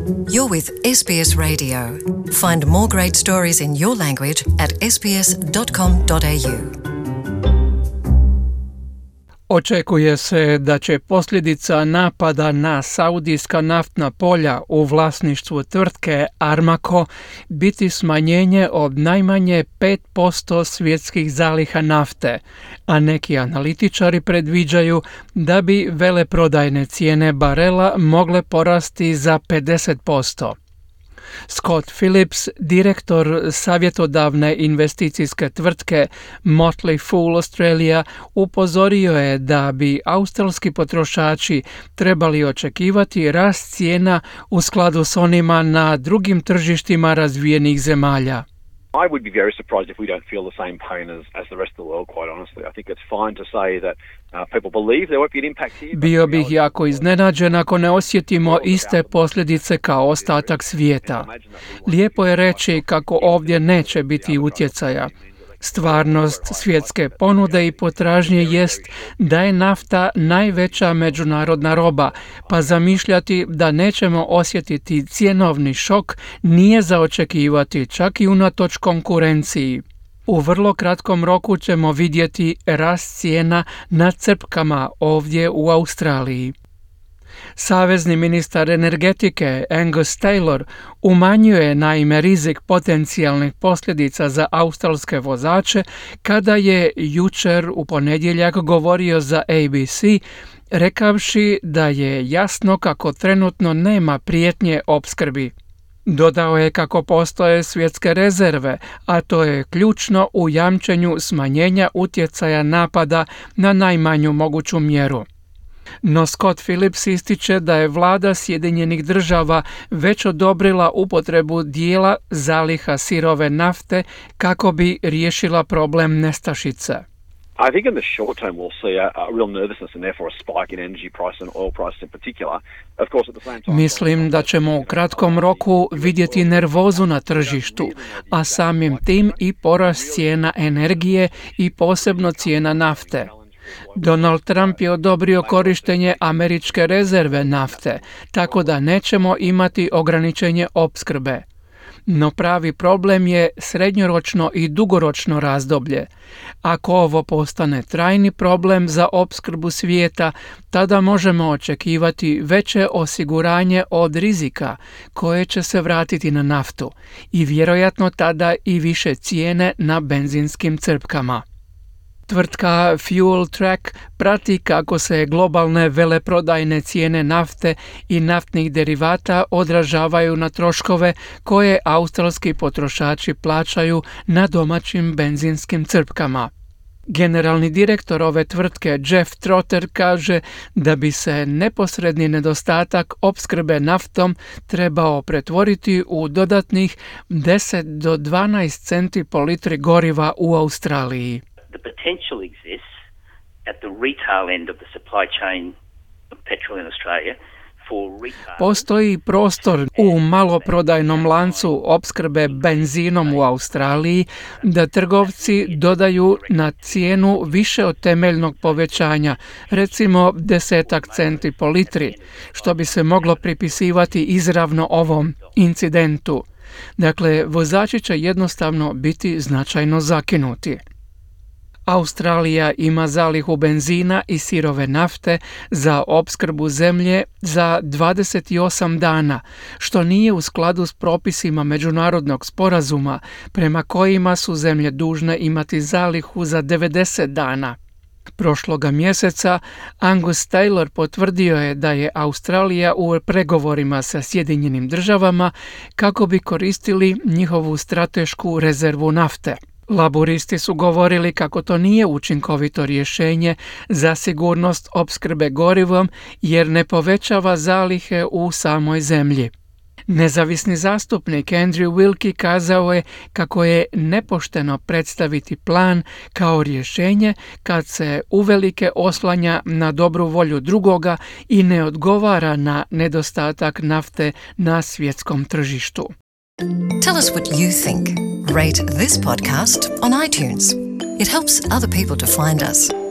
You're with SBS Radio. Find more great stories in your language at sbs.com.au. Očekuje se da će posljedica napada na saudijska naftna polja u vlasništvu tvrtke Aramco biti smanjenje od najmanje 5% svjetskih zaliha nafte, a neki analitičari predviđaju da bi veleprodajne cijene barela mogle porasti za 50%. Scott Phillips, direktor savjetodavne investicijske tvrtke Motley Fool Australia, upozorio je da bi australski potrošači trebali očekivati rast cijena u skladu s onima na drugim tržištima razvijenih zemalja. I would be very surprised if we don't feel the same pain as the rest of the world, quite honestly. I think it's fine to say that people believe there won't be an impact here. Bio bih jako iznenađen ako ne osjetimo iste posljedice kao ostatak svijeta. Lijepo je reći kako ovdje neće biti utjecaja. Stvarnost svjetske ponude i potražnje jest da je nafta najveća međunarodna roba, pa zamišljati da nećemo osjetiti cjenovni šok nije za očekivati čak i unatoč konkurenciji. U vrlo kratkom roku ćemo vidjeti rast cijena na crpkama ovdje u Australiji. Savezni ministar energetike Angus Taylor umanjuje naime rizik potencijalnih posljedica za australske vozače kada je jučer u ponedjeljak govorio za ABC, rekavši da je jasno kako trenutno nema prijetnje opskrbi. Dodao je kako postoje svjetske rezerve, a to je ključno u jamčenju smanjenja utjecaja napada na najmanju moguću mjeru. No Scott Phillips ističe da je vlada Sjedinjenih Država već odobrila upotrebu dijela zaliha sirove nafte kako bi riješila problem nestašice. I think in the short term we'll see a real nervousness and therefore a spike in energy price and oil price in particular. Of course, at the same time, mislim da ćemo u kratkom roku vidjeti nervozu na tržištu, a samim tim i porast cijena energije i posebno cijena nafte. Donald Trump je odobrio korištenje američke rezerve nafte, tako da nećemo imati ograničenje opskrbe. No pravi problem je srednjoročno i dugoročno razdoblje. Ako ovo postane trajni problem za opskrbu svijeta, tada možemo očekivati veće osiguranje od rizika koje će se vratiti na naftu i vjerojatno tada i više cijene na benzinskim crpkama. Tvrtka Fuel Track prati kako se globalne veleprodajne cijene nafte i naftnih derivata odražavaju na troškove koje australski potrošači plaćaju na domaćim benzinskim crpkama. Generalni direktor ove tvrtke Jeff Trotter kaže da bi se neposredni nedostatak opskrbe naftom trebao pretvoriti u dodatnih 10 do 12 centi po litri goriva u Australiji. The potential exists at the retail end of the supply chain of petrol in Australia for retail. Postoji prostor u maloprodajnom lancu opskrbe benzinom u Australiji da trgovci dodaju na cijenu više od temeljnog povećanja, recimo 10 centi po litri, što bi se moglo pripisivati izravno ovom incidentu. Dakle, vozači će jednostavno biti značajno zakinuti. Australija ima zalihu benzina i sirove nafte za opskrbu zemlje za 28 dana, što nije u skladu s propisima međunarodnog sporazuma prema kojima su zemlje dužne imati zalihu za 90 dana. Prošloga mjeseca Angus Taylor potvrdio je da je Australija u pregovorima sa Sjedinjenim Državama kako bi koristili njihovu stratešku rezervu nafte. Laburisti su govorili kako to nije učinkovito rješenje za sigurnost opskrbe gorivom jer ne povećava zalihe u samoj zemlji. Nezavisni zastupnik Andrew Wilkie kazao je kako je nepošteno predstaviti plan kao rješenje kad se uvelike oslanja na dobru volju drugoga i ne odgovara na nedostatak nafte na svjetskom tržištu. Tell us what you think. Rate this podcast on iTunes. It helps other people to find us.